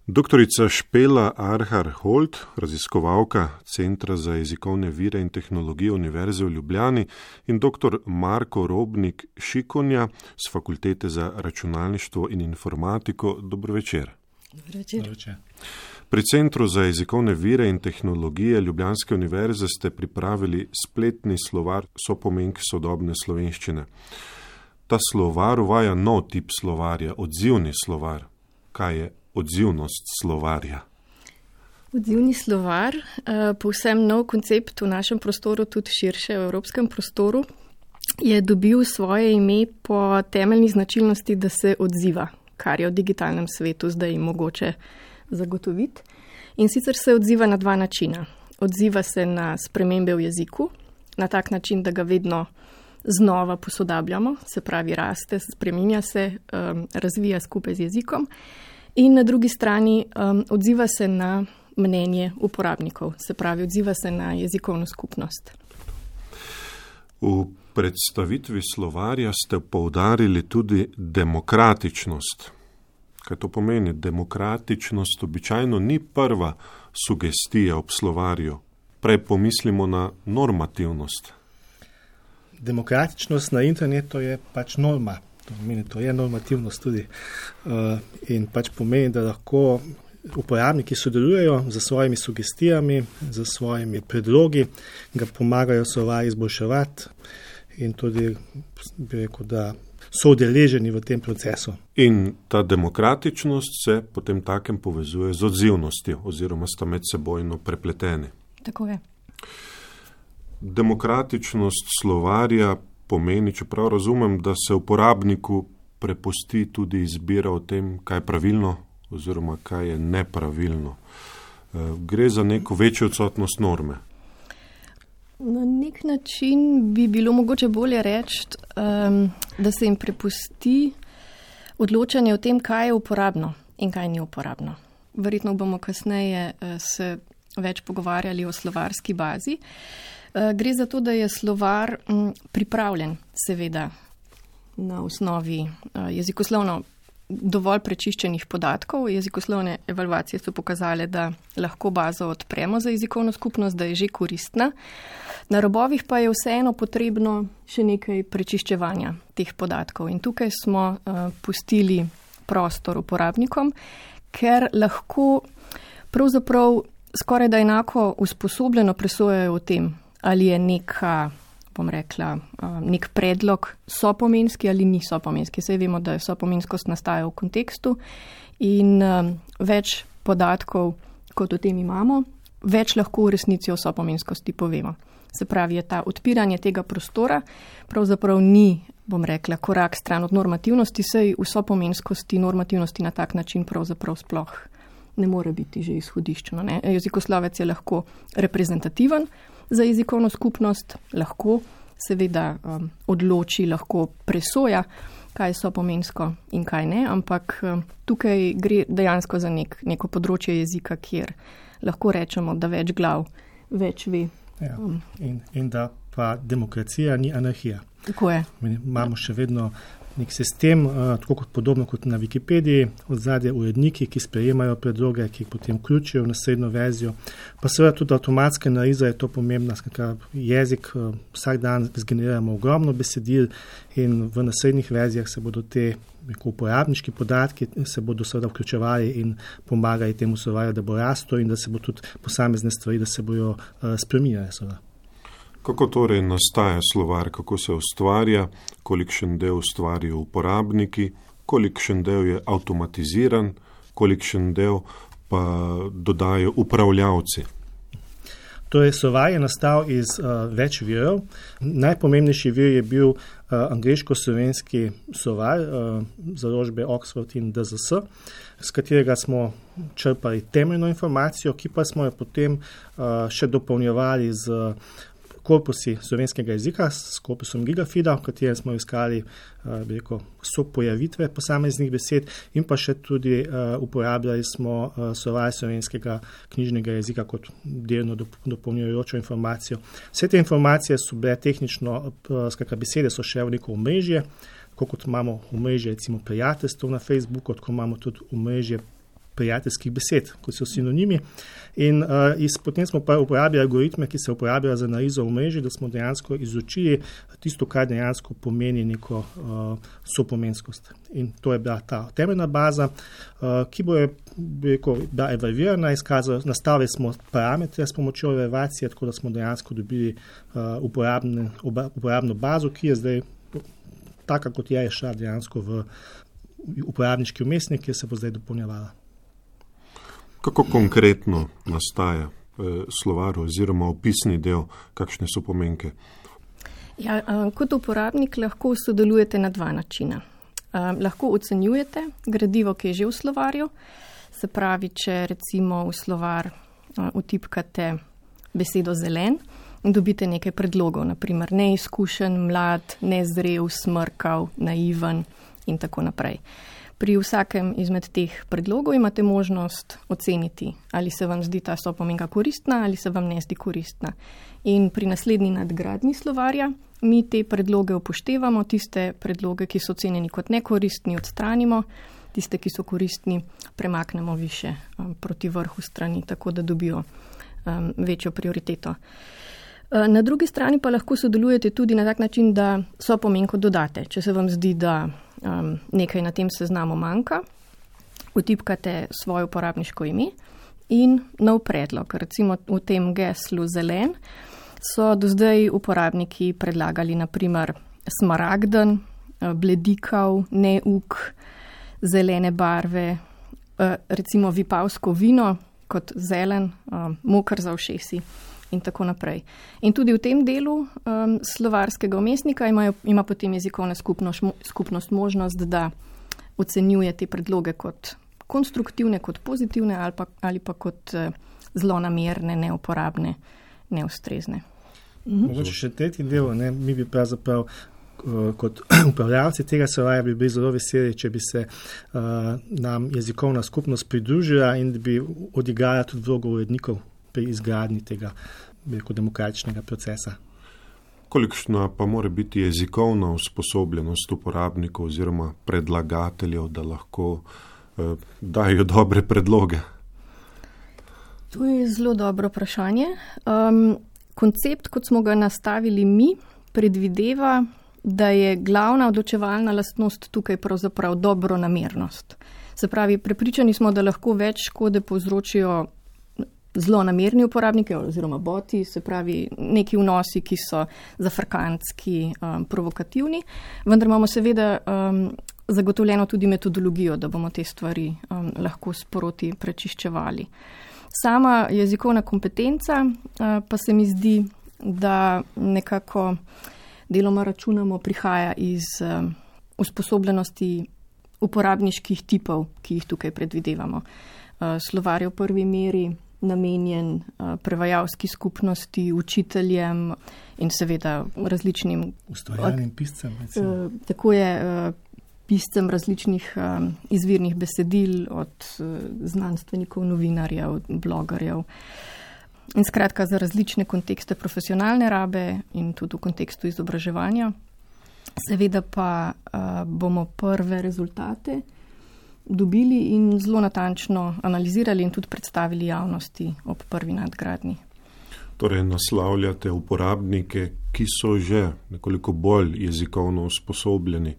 Doktorica Špela Arhar-Holt, raziskovalka Centra za jezikovne vire in tehnologije Univerze v Ljubljani, in dr. Marko Robnik-Šikonja z Fakultete za računalništvo in informatiko. Dobro večer. Dobro večer. Pri Centru za jezikovne vire in tehnologije Ljubljanske univerze ste pripravili spletni slovar sopomenk sodobne slovenščine. Ta slovar uvaja nov tip slovarja, odzivni slovar. Kaj je odzivnost slovarja? Odzivni slovar, povsem nov koncept v našem prostoru, tudi širše v evropskem prostoru, je dobil svoje ime po temeljni značilnosti, da se odziva, kar je v digitalnem svetu zdaj mogoče zagotoviti. In sicer se odziva na dva načina. Odziva se na spremembe v jeziku, na tak način, da ga vedno znova posodabljamo, se pravi raste, spreminja se, razvija skupaj z jezikom. In na drugi strani odziva se na mnenje uporabnikov, se pravi odziva se na jezikovno skupnost. V predstavitvi slovarja ste poudarili tudi demokratičnost. Kaj to pomeni? Demokratičnost običajno ni prva sugestija ob slovarju. Prej pomislimo na normativnost. Demokratičnost na internetu je pač norma. To je normativnost tudi. In pač pomeni, da lahko uporabniki sodelujejo za svojimi sugestijami, za svojimi predlogi, ga pomagajo slovar izboljševati in tudi bi rekel, da so udeleženi v tem procesu. In ta demokratičnost se potem takem povezuje z odzivnostjo oziroma sta med sebojno prepleteni. Tako je. Demokratičnost slovarja pomeni, čeprav razumem, da se uporabniku prepusti tudi izbira o tem, kaj je pravilno oziroma kaj je nepravilno. Gre za neko večjo odsotnost norme. Na nek način bi bilo mogoče bolje reči, da se jim prepusti odločanje o tem, kaj je uporabno in kaj ni uporabno. Verjetno bomo kasneje se več pogovarjali o slovarski bazi. Gre za to, da je slovar pripravljen, seveda, na osnovi jezikoslovno dovolj prečiščenih podatkov. Jezikoslovne evalvacije so pokazale, da lahko bazo odpremo za jezikovno skupnost, da je že koristna. Na robovih pa je vseeno potrebno še nekaj prečiščevanja teh podatkov. In tukaj smo pustili prostor uporabnikom, ker lahko pravzaprav skoraj da enako usposobljeno presojajo o tem, ali je nek predlog sopomenski ali ni sopomenski. Saj vemo, da sopomenskost nastaja v kontekstu in več podatkov, kot o tem imamo, več lahko v resnici o sopomenskosti povemo. Se pravi, je ta odpiranje tega prostora pravzaprav ni, korak stran od normativnosti, saj v sopomenskosti normativnosti na tak način pravzaprav sploh ne more biti že izhodiščno. Jezikoslovec je lahko reprezentativen za jezikovno skupnost, lahko seveda odloči, lahko presoja, kaj so pomensko in kaj ne, ampak tukaj gre dejansko za neko področje jezika, kjer lahko rečemo, da več glav več ve. Ja, in da pa demokracija ni anarhija. Tako je. Imamo še vedno nek sistem, tako kot podobno kot na Wikipediji, odzadje uredniki, ki sprejemajo predloge, ki jih potem vključijo v naslednjo verzijo. Pa seveda tudi avtomatska analiza je to pomembna, jezik vsak dan zgeneriramo ogromno besedil in v naslednjih verzijah se bodo te uporabniški podatki se bodo seveda vključevali in pomagali temu slovarju, da bo rastel in da se bo tudi posamezne stvari, da se bojo spreminjale seveda. Kako torej nastaja slovar, kako se ustvarja, kolikšen del ustvarijo uporabniki, kolikšen del je avtomatiziran, kolikšen del pa dodajo upravljavci? Torej, slovar je nastal iz več virov. Najpomembnejši vir je bil angleško-slovenski slovar založbe Oxford in DZS, s katerega smo črpali temeljno informacijo, ki pa smo jo potem še dopolnjevali z korpusi slovenskega jezika s korpusom Gigafida, v katerem smo iskali pojavitve posameznih besed in pa še tudi uporabljali smo slovar slovenskega knjižnega jezika kot delno dopolnjujočo informacijo. Vse te informacije so bile tehnično, besede so še v neko omrežje, kot imamo omrežje recimo prijateljstvo na Facebooku, tako imamo tudi omrežje prijateljskih besed, kot so sinonimi. In potem smo pa uporabili algoritme, ki se uporabljajo za analizo omrežij, da smo dejansko izučili tisto, kar dejansko pomeni neko sopomenskost. In to je bila ta temeljna baza, ki bo bila evalvirana, nastavili smo parametre s pomočjo evalvacije, tako da smo dejansko dobili uporabno bazo, ki je zdaj taka, kot je šla dejansko v uporabniški vmesnik, ki se bo zdaj dopolnjevala. Kako konkretno nastaja slovar oziroma opisni del, kakšne so pomenke? Ja, kot uporabnik lahko sodelujete na dva načina. Lahko ocenjujete gradivo, ki je že v slovarju, se pravi, če recimo v slovar vtipkate besedo zelen in dobite nekaj predlogov, naprimer neizkušen, mlad, nezrel, smrkav, naiven in tako naprej. Pri vsakem izmed teh predlogov imate možnost oceniti, ali se vam zdi ta sopomenka koristna ali se vam ne zdi koristna. In pri naslednji nadgradnji slovarja mi te predloge upoštevamo, tiste predloge, ki so ocenjeni kot nekoristni, odstranimo, tiste, ki so koristni, premaknemo više proti vrhu strani, tako da dobijo večjo prioriteto. Na drugi strani pa lahko sodelujete tudi na tak način, da sopomenko dodate. Če se vam zdi, da nekaj na tem seznamu manjka, vtipkate svoje uporabniško ime in nov predlog. Recimo v tem geslu zelen so do zdaj uporabniki predlagali naprimer smaragden, bledikav, neuk, zelene barve, recimo vipavsko vino kot zelen, moker za ušesi in tako naprej. In tudi v tem delu slovarskega vmesnika ima potem jezikovna skupnost možnost, da ocenjuje te predloge kot konstruktivne, kot pozitivne ali pa kot zlonamerne, neuporabne, neustrezne. Mogoče še tretji del, mi bi pravzaprav kot upravljavci tega slovarja bi bili zelo veseli, če bi se nam jezikovna skupnost pridružila in da bi odigrala tudi vlogo urednikov pri izgradnji tega demokratičnega procesa. Kolikšna pa mora biti jezikovna usposobljenost uporabnikov oziroma predlagateljev, da lahko dajo dobre predloge? To je zelo dobro vprašanje. Koncept, kot smo ga nastavili mi, predvideva, da je glavna odločevalna lastnost tukaj pravzaprav dobronamernost. Se pravi, prepričani smo, da lahko več škode povzročijo zlonamerni uporabniki oziroma boti, se pravi neki vnosi, ki so zafrkantski, provokativni, vendar imamo seveda zagotovljeno tudi metodologijo, da bomo te stvari lahko sproti prečiščevali. Sama jezikovna kompetenca pa se mi zdi, da nekako deloma računamo prihaja iz usposobljenosti uporabniških tipov, ki jih tukaj predvidevamo. Slovar je v prvi meri namenjen prevajalski skupnosti, učiteljem in seveda različnim ustvarjalnim piscem. Tako je piscem različnih izvirnih besedil, od znanstvenikov, novinarjev, blogerjev. In skratka za različne kontekste profesionalne rabe in tudi v kontekstu izobraževanja. Seveda pa bomo prve rezultate dobili in zelo natančno analizirali in tudi predstavili javnosti ob prvi nadgradnji. Torej naslavljate uporabnike, ki so že nekoliko bolj jezikovno usposobljeni,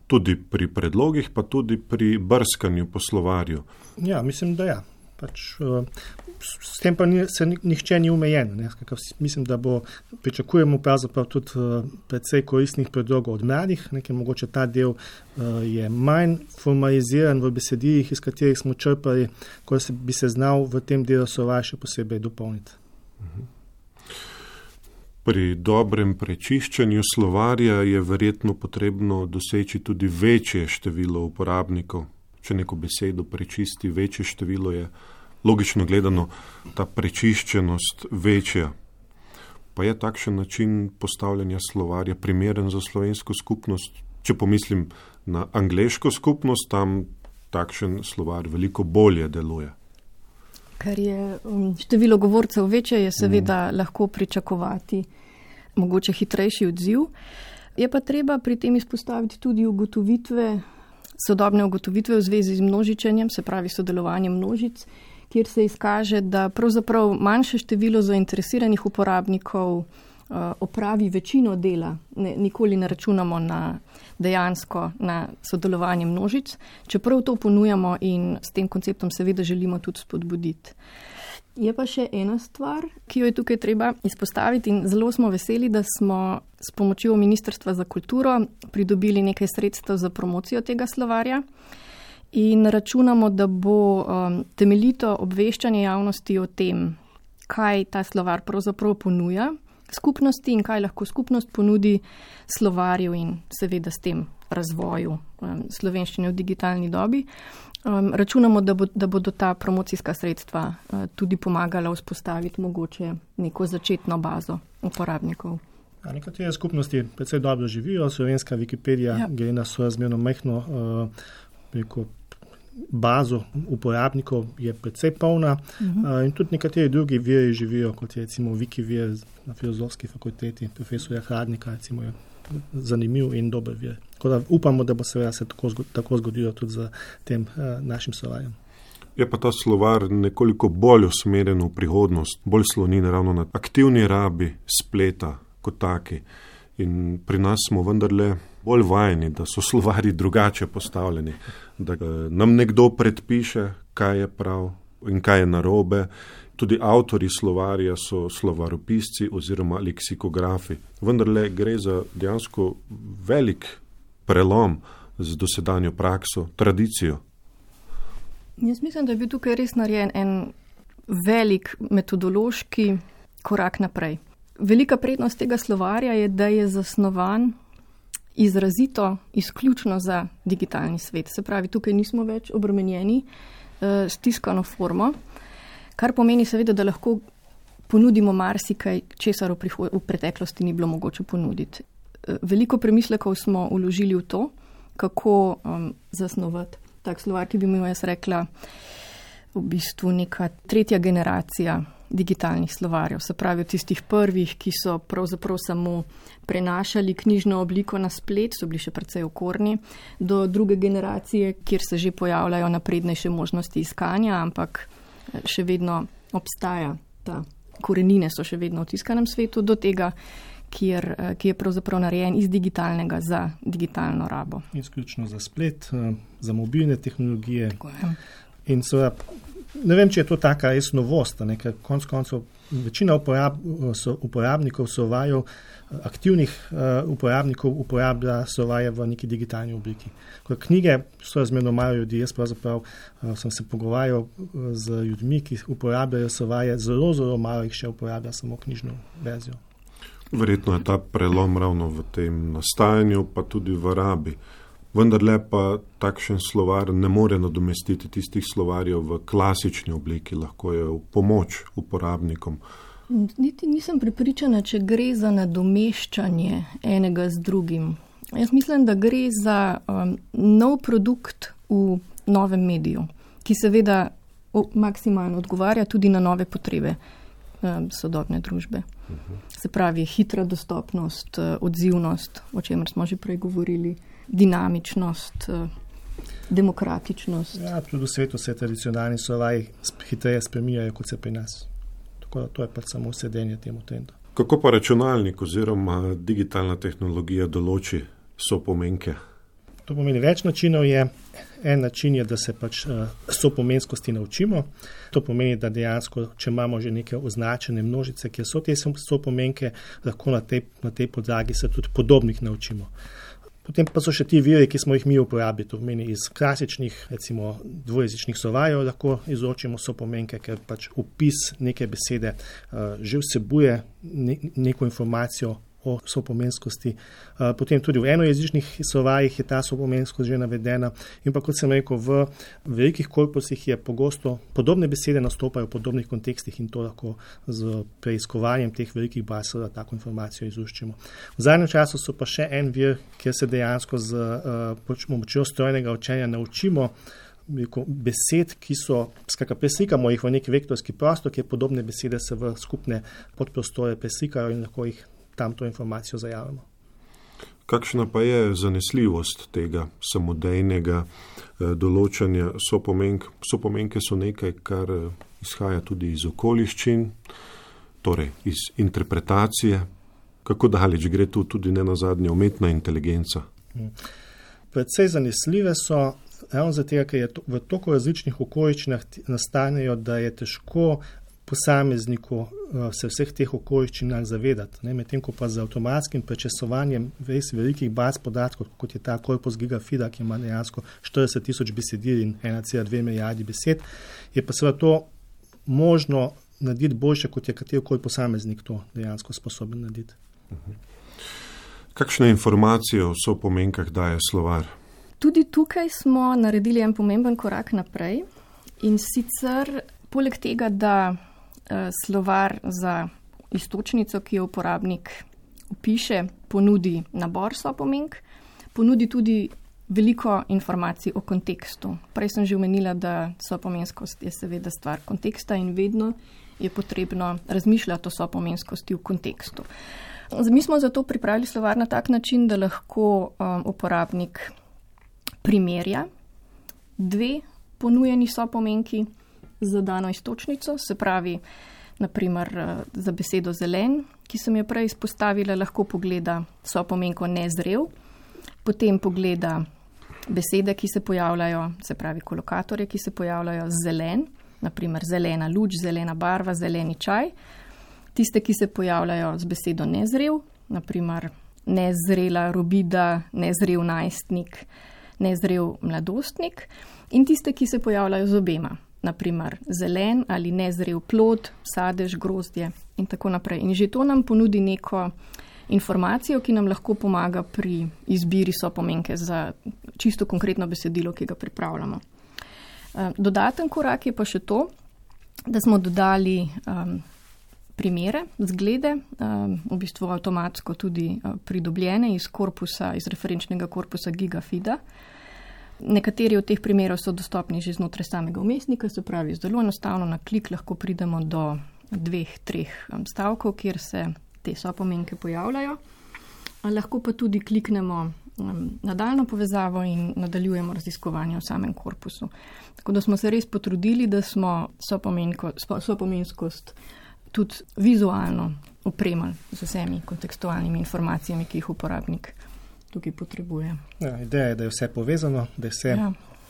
tudi pri predlogih, pa tudi pri brskanju po slovarju. Ja, mislim, da ja. S tem pa nihče ni omejen. Mislim, da pričakujemo pravzaprav tudi precej koristnih predlogov od mladih. Mogoče ta del je manj formaliziran v besedilih, iz katerih smo črpali, ko bi se znal v tem delu slovar še posebej dopolniti. Pri dobrem prečiščenju slovarja je verjetno potrebno doseči tudi večje število uporabnikov. Če neko besedo prečisti, večje število je logično gledano ta prečiščenost večja. Pa je takšen način postavljanja slovarja primeren za slovensko skupnost? Če pomislim na angleško skupnost, tam takšen slovar veliko bolje deluje. Ker je število govorcev večje, je seveda lahko pričakovati mogoče hitrejši odziv. Je pa treba pri tem izpostaviti tudi ugotovitve sodobne ugotovitve v zvezi z množičenjem, se pravi sodelovanjem množic, kjer se izkaže, da pravzaprav manjše število zainteresiranih uporabnikov opravi večino dela. Nikoli ne računamo dejansko na sodelovanje množic, čeprav to ponujamo in s tem konceptom seveda želimo tudi spodbuditi. Je pa še ena stvar, ki jo je tukaj treba izpostaviti in zelo smo veseli, da smo s pomočjo Ministrstva za kulturo pridobili nekaj sredstev za promocijo tega slovarja in računamo, da bo temeljito obveščanje javnosti o tem, kaj ta slovar pravzaprav ponuja skupnosti in kaj lahko skupnost ponudi slovarju in seveda s tem razvoju slovenščine v digitalni dobi. Računamo, da bodo ta promocijska sredstva tudi pomagala vzpostaviti mogoče neko začetno bazo uporabnikov. Nekatere skupnosti predvsej dobro živijo, slovenska Wikipedija gre na sorazmerno majhno bazo uporabnikov, je predvsej polna in tudi nekateri drugi viri živijo, kot je recimo Wikivir na Filozofski fakulteti, profesorja Hradnika, recimo je zanimiv in dober vir. Tako da upamo, da bo seveda se tako zgodilo tudi z tem našim slovarjem. Je pa ta slovar nekoliko bolj usmerjen v prihodnost, bolj sloni ravno na aktivni rabi spleta kot taki. In pri nas smo vendarle bolj vajeni, da so slovari drugače postavljeni, da nam nekdo predpiše, kaj je prav in kaj je narobe. Tudi avtori slovarja so slovaropisci oziroma leksikografi. Vendarle gre za dejansko velik prelom z dosedanjo prakso, tradicijo. Jaz mislim, da je bil tukaj res narejen en velik metodološki korak naprej. Velika prednost tega slovarja je, da je zasnovan izrazito, izključno za digitalni svet. Se pravi, tukaj nismo več obremenjeni s tiskano formo, kar pomeni seveda, da lahko ponudimo marsikaj, česar v preteklosti ni bilo mogoče ponuditi. Veliko premislekov smo vložili v to, kako zasnovati tak slovar, ki bi mu jaz rekla v bistvu neka tretja generacija digitalnih slovarjev. Se pravi, od tistih prvih, ki so pravzaprav samo prenašali knjižno obliko na splet, so bili še precej okorni, do druge generacije, kjer se že pojavljajo naprednejše možnosti iskanja, ampak še vedno obstaja ta korenine, so še vedno v tiskanem svetu, do tega, ki je pravzaprav narejen iz digitalnega za digitalno rabo. Izključno za splet, za mobilne tehnologije. In seveda, ne vem, če je to taka res novost, ker konec koncev večina uporabnikov slovarjev, aktivnih uporabnikov uporablja slovarje v neki digitalni obliki. Knjige so razmerno malo ljudi, jaz pravzaprav sem se pogovarjal z ljudmi, ki uporabljajo slovarje, zelo malo jih še uporablja samo knjižno verzijo. Verjetno je ta prelom ravno v tem nastajanju, pa tudi v rabi. Vendarle pa takšen slovar ne more nadomestiti tistih slovarjev v klasični obliki, lahko je v pomoč uporabnikom. Niti nisem prepričana, če gre za nadomeščanje enega z drugim. Jaz mislim, da gre za nov produkt v novem mediju, ki seveda maksimalno odgovarja tudi na nove potrebe sodobne družbe. Se pravi, hitra dostopnost, odzivnost, o čemer smo že prej govorili, dinamičnost, demokratičnost. Ja, tudi v svetu se tradicionalni slovarji hitreje spreminjajo, kot se pri nas. Tako da to je pač samo sedenje temu trendu. Kako pa računalnik oziroma digitalna tehnologija določi sopomenke? To pomeni več načinov je. En način je, da se pač sopomenskosti naučimo. To pomeni, da dejansko, če imamo že neke označene množice, kjer so te sopomenke, lahko na tej podlagi se tudi podobnih naučimo. Potem pa so še ti viri, ki smo jih mi uporabili. To pomeni iz klasičnih, recimo dvojezičnih slovarjev lahko izločimo sopomenke, ker pač opis neke besede že vsebuje neko informacijo o sopomenskosti. Potem tudi v enojezičnih slovarjih je ta sopomenskost že navedena. In pa, kot sem rekel, v velikih korpusih je pogosto podobne besede nastopajo v podobnih kontekstih in to lahko z preiskovanjem teh velikih baz tako informacijo izluščimo. V zadnjem času so pa še en vir, kjer se dejansko z pomočjo strojnega učenja naučimo besed, ki so, preslikamo jih v neki vektorski prostor, kjer podobne besede se v skupne podprostore preslikajo in lahko jih tam to informacijo zajavimo. Kakšna pa je zanesljivost tega samodejnega določanja sopomenk? Sopomenke so nekaj, kar izhaja tudi iz okoliščin, torej iz interpretacije. Kako daleč gre tu tudi nenazadnje umetna inteligenca? Predvsej zanesljive so, ravno zato, ker v toliko različnih okoliščinah nastanejo, da je težko posamezniku se vseh teh okoliščinah zavedati. Medtem ko pa z avtomatskim prečesovanjem res velikih baz podatkov, kot je ta korpus Gigafida, ki ima dejansko 40,000 besedil in 1,2 milijardi besed, je pa seveda to možno narediti boljše, kot je katerikoli posameznik to dejansko sposoben narediti. Kakšne informacije o sopomenkah daje slovar? Tudi tukaj smo naredili en pomemben korak naprej in sicer poleg tega, da slovar za iztočnico, ki jo uporabnik vpiše, ponudi nabor sopomenk, ponudi tudi veliko informacij o kontekstu. Prej sem že omenila, da sopomenskost je seveda stvar konteksta in vedno je potrebno razmišljati o sopomenskosti v kontekstu. Mi smo zato pripravili slovar na tak način, da lahko uporabnik primerja dve ponujeni sopomenki za dano iztočnico, se pravi, naprimer za besedo zelen, ki sem jo prej izpostavila, lahko pogleda sopomenko nezrel, potem pogleda besede, ki se pojavljajo, se pravi kolokatorje, ki se pojavljajo zelen, naprimer zelena luč, zelena barva, zeleni čaj, tiste, ki se pojavljajo z besedo nezrel, naprimer nezrela robida, nezrel najstnik, nezrel mladostnik, in tiste, ki se pojavljajo z obema, naprimer zelen ali nezrel plod, sadež, grozdje in tako naprej. In že to nam ponudi neko informacijo, ki nam lahko pomaga pri izbiri sopomenke za čisto konkretno besedilo, ki ga pripravljamo. Dodaten korak je pa še to, da smo dodali primere, zglede, v bistvu avtomatsko tudi pridobljene iz referenčnega korpusa Gigafida. Nekateri od teh primerov so dostopni že znotraj samega vmesnika, se pravi, zelo enostavno na klik lahko pridemo do 2-3 stavkov, kjer se te sopomenke pojavljajo. Lahko pa tudi kliknemo nadaljno povezavo in nadaljujemo raziskovanje v samem korpusu. Tako da smo se res potrudili, da smo sopomenskost tudi vizualno opremali z vsemi kontekstualnimi informacijami, ki jih uporabnik tukaj potrebuje. Ja, ideja je, da je vse povezano, da je vse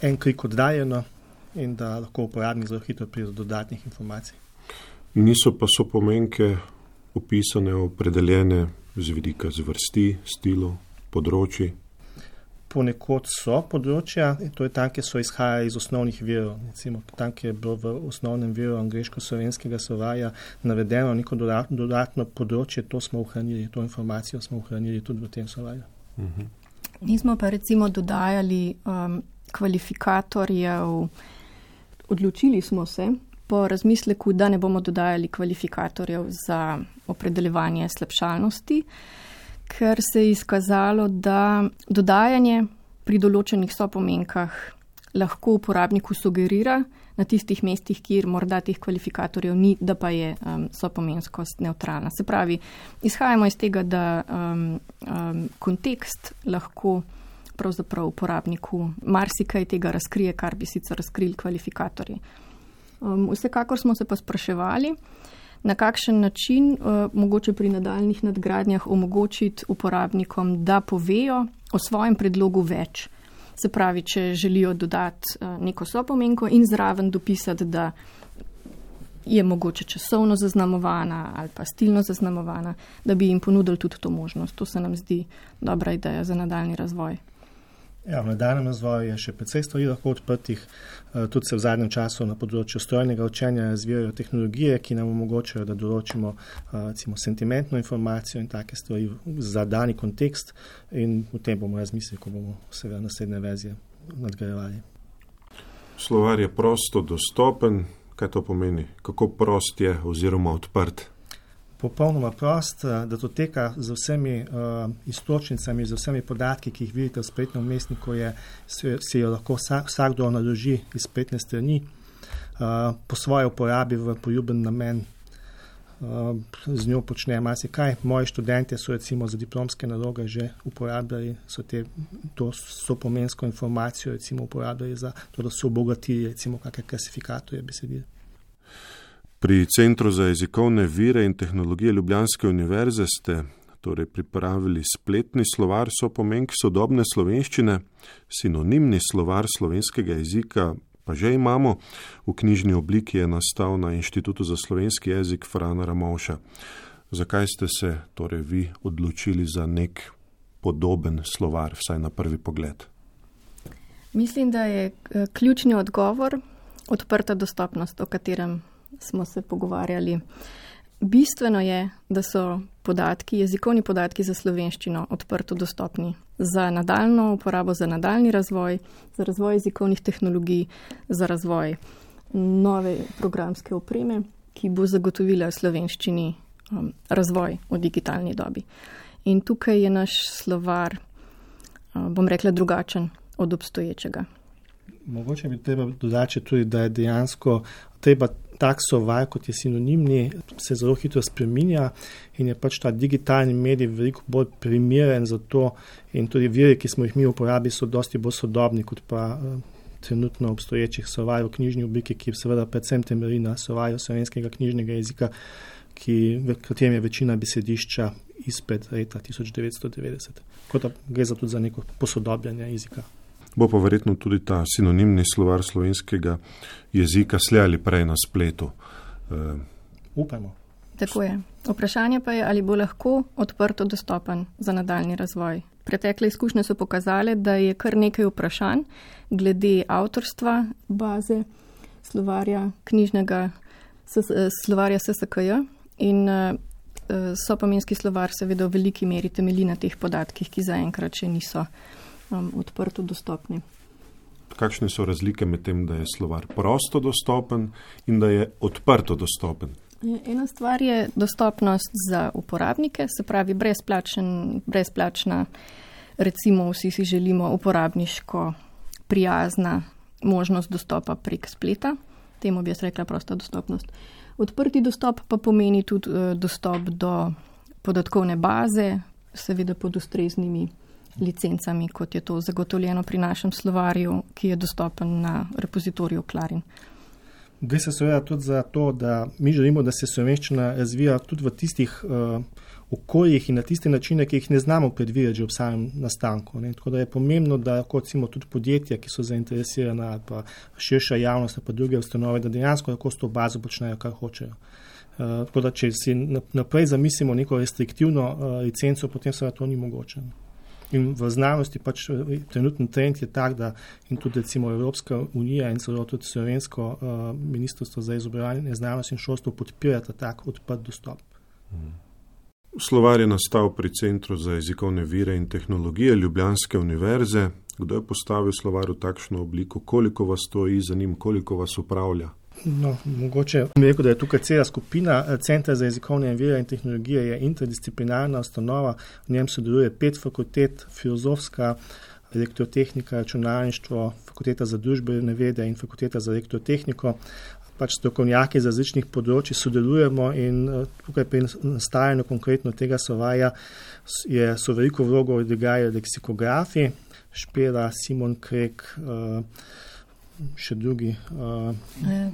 en klik oddaljeno in da lahko uporabnik zelo hitro pride do dodatnih informacij. Niso pa sopomenke opisane, opredeljene z vidika zvrsti, stilov, področji? Ponekod so področja, to je tam, kjer so izhajali iz osnovnih virov. Recimo, tam, kjer je bilo v osnovnem viru angleško-slovenskega slovarja navedeno neko dodatno področje, to smo ohranili, to informacijo smo ohranili tudi v tem slovarju. Mi smo pa recimo dodajali kvalifikatorjev, odločili smo se po razmisleku, da ne bomo dodajali kvalifikatorjev za opredeljevanje slabšalnosti, ker se je izkazalo, da dodajanje pri določenih sopomenkah lahko uporabniku sugerira na tistih mestih, kjer morda teh kvalifikatorjev ni, da pa je sopomenskost nevtralna. Se pravi, izhajamo iz tega, da kontekst lahko pravzaprav uporabniku marsikaj tega razkrije, kar bi sicer razkrili kvalifikatorji. Vsekakor smo se pa spraševali, na kakšen način mogoče pri nadaljnih nadgradnjah omogočiti uporabnikom, da povejo o svojem predlogu več. Se pravi, če želijo dodati neko sopomenko in zraven dopisati, da je mogoče časovno zaznamovana ali pa stilno zaznamovana, da bi jim ponudili tudi to možnost. To se nam zdi dobra ideja za nadaljni razvoj. Ja, v nadaljnem razvoju je še precej stvari lahko odprtih. Tudi se v zadnjem času na področju strojnega učenja razvijajo tehnologije, ki nam omogočajo, da določimo recimo sentimentno informacijo in take stvari za dani kontekst, in v tem bomo razmislili, ko bomo seveda naslednje verzije nadgrajevali. Slovar je prosto dostopen. Kaj to pomeni? Kako prost je oziroma odprt? Popolnoma prost, da to teka z vsemi iztočnicami, z vsemi podatki, ki jih vidite v spletnem vmesniku, si jo lahko vsakdo naloži iz spletne strani po svoji uporabi v poljuben namen. z njo počne marsikaj. Moji študenti so recimo za diplomske naloge že uporabljali, to sopomensko informacijo recimo uporabljali za to, da so obogatili recimo kakšne klasifikatorje besedil. Pri Centru za jezikovne vire in tehnologije Ljubljanske univerze ste torej pripravili spletni slovar sopomenk sodobne slovenščine, sinonimni slovar slovenskega jezika pa že imamo, v knjižni obliki je nastal na Inštitutu za slovenski jezik Frana Ramovša. Zakaj ste se torej vi odločili za nek podoben slovar, vsaj na prvi pogled? Mislim, da je ključni odgovor odprta dostopnost, o katerem smo se pogovarjali. Bistveno je, da so podatki, jezikovni podatki za slovenščino odprto dostopni za nadaljno uporabo, za nadaljni razvoj, za razvoj jezikovnih tehnologij, za razvoj nove programske opreme, ki bo zagotovila slovenščini razvoj v digitalni dobi. In tukaj je naš slovar, bom rekla, drugačen od obstoječega. Mogoče bi treba dodati tudi, da je dejansko treba tak slovar, kot je sinonimni, se zelo hitro spreminja in je pač ta digitalni medij veliko bolj primeren za to in tudi viri, ki smo jih mi uporabili, so dosti bolj sodobni kot pa trenutno obstoječih slovarjev v knjižni obliki, ki seveda predvsem temelji na slovarju slovenskega knjižnega jezika, v katerem je večina besedišča izpred leta 1990. Kot da gre za tudi za neko posodobljanje jezika. Bo pa verjetno tudi ta sinonimni slovar slovenskega jezika slej ali prej na spletu. Upajmo. Tako je. Vprašanje pa je, ali bo lahko odprto dostopen za nadaljni razvoj. Pretekle izkušnje so pokazale, da je kar nekaj vprašanj glede avtorstva baze slovarja knjižnega, slovarja SSKJ in sopomenski slovar seveda v veliki meri temelji na teh podatkih, ki zaenkrat še niso odprto dostopni. Kakšne so razlike med tem, da je slovar prosto dostopen in da je odprto dostopen? Ena stvar je dostopnost za uporabnike, se pravi brezplačna, recimo vsi si želimo uporabniško prijazna možnost dostopa prek spleta, temu bi jaz rekla prosta dostopnost. Odprti dostop pa pomeni tudi dostop do podatkovne baze, seveda pod ustreznimi licencami, kot je to zagotovljeno pri našem slovarju, ki je dostopen na repozitoriju Clarin. Gre se seveda tudi za to, da mi želimo, da se slovenščina razvija tudi v tistih okoljih in na tiste načine, ki jih ne znamo predvideti že ob samem nastanku. Tako da je pomembno, da kot recimo tudi podjetja, ki so zainteresirana ali pa širša javnost ali pa druge ustanove, da dejansko lahko s to bazo počnejo, kar hočejo. Tako da če si naprej zamislimo neko restriktivno licenco, potem seveda to ni mogoče. In v znanosti pač trenutni trend je tak, da in tudi recimo Evropska unija in celo tudi slovensko ministrstvo za izobraževanje, znanost in šolstvo podpirata tak odprt dostop. Slovar je nastal pri Centru za jezikovne vire in tehnologije Ljubljanske univerze. Kdo je postavil slovar v takšno obliko? Koliko vas stoji za njim? Koliko vas upravlja? No, mogoče bi rekel, da je tukaj cela skupina. Centra za jezikovne vire in tehnologije je interdisciplinarna ustanova, v njem sodeluje 5 fakultet, filozofska, elektrotehnika, računalništvo, fakulteta za družbene vede in fakulteta za elektrotehniko. Pač strokovnjaki z različnih področij sodelujemo in tukaj pri nastajanju konkretno tega slovarja so veliko vlogo odigrali leksikografi, Špela, Simon Krek, še drugi.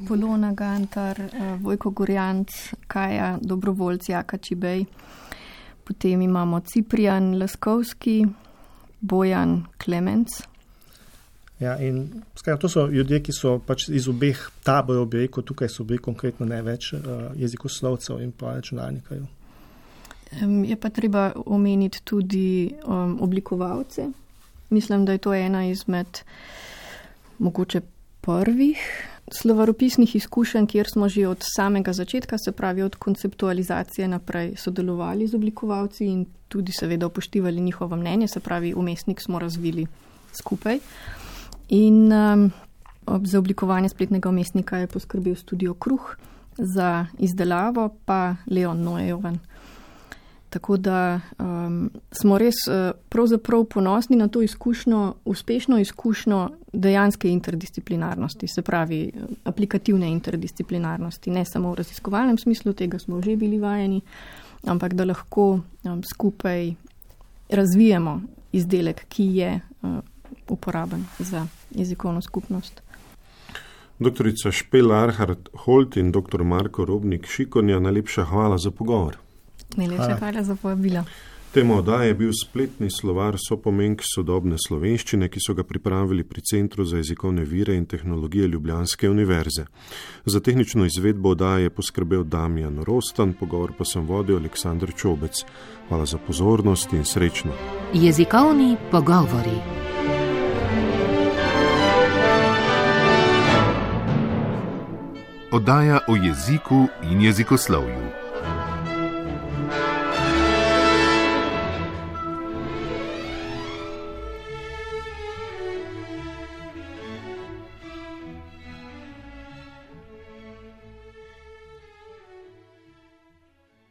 Polona Gantar, Vojko Gorjanc, Kaja Dobrovoljc, Jaka Čibej. Potem imamo Ciprijan Laskovski, Bojan Klemenc. Ja, in to so ljudje, ki so pač iz obeh taborov, bi rekel, tukaj so bili konkretno največ jezikoslovcev in pa računalnikarjev. Je pa treba omeniti tudi oblikovalce. Mislim, da je to ena izmed mogoče prvih slovaropisnih izkušenj, kjer smo že od samega začetka, se pravi od konceptualizacije naprej, sodelovali z oblikovalci in tudi seveda upoštevali njihovo mnenje, se pravi umestnik smo razvili skupaj. In za oblikovanje spletnega umestnika je poskrbel Studio Kruh, za izdelavo pa Leon Noejoven. Tako da smo res pravzaprav ponosni na to izkušnjo, uspešno izkušnjo dejanske interdisciplinarnosti, se pravi aplikativne interdisciplinarnosti, ne samo v raziskovalnem smislu, tega smo že bili vajeni, ampak da lahko skupaj razvijemo izdelek, ki je uporaben za jezikovno skupnost. Doktorica Špela Arhart-Holt in dr. Marko Robnik-Šikonja, najlepša hvala za pogovor. Najlepša hvala za povabilo. Tema oddaje je bil spletni slovar sopomenk sodobne slovenščine, ki so ga pripravili pri Centru za jezikovne vire in tehnologije Ljubljanske univerze. Za tehnično izvedbo oddaje je poskrbel Damjan Rostan, pogovor pa sem vodil Aleksandr Čobec. Hvala za pozornost in srečno. Jezikovni pogovori. Oddaja o jeziku in jezikoslovju.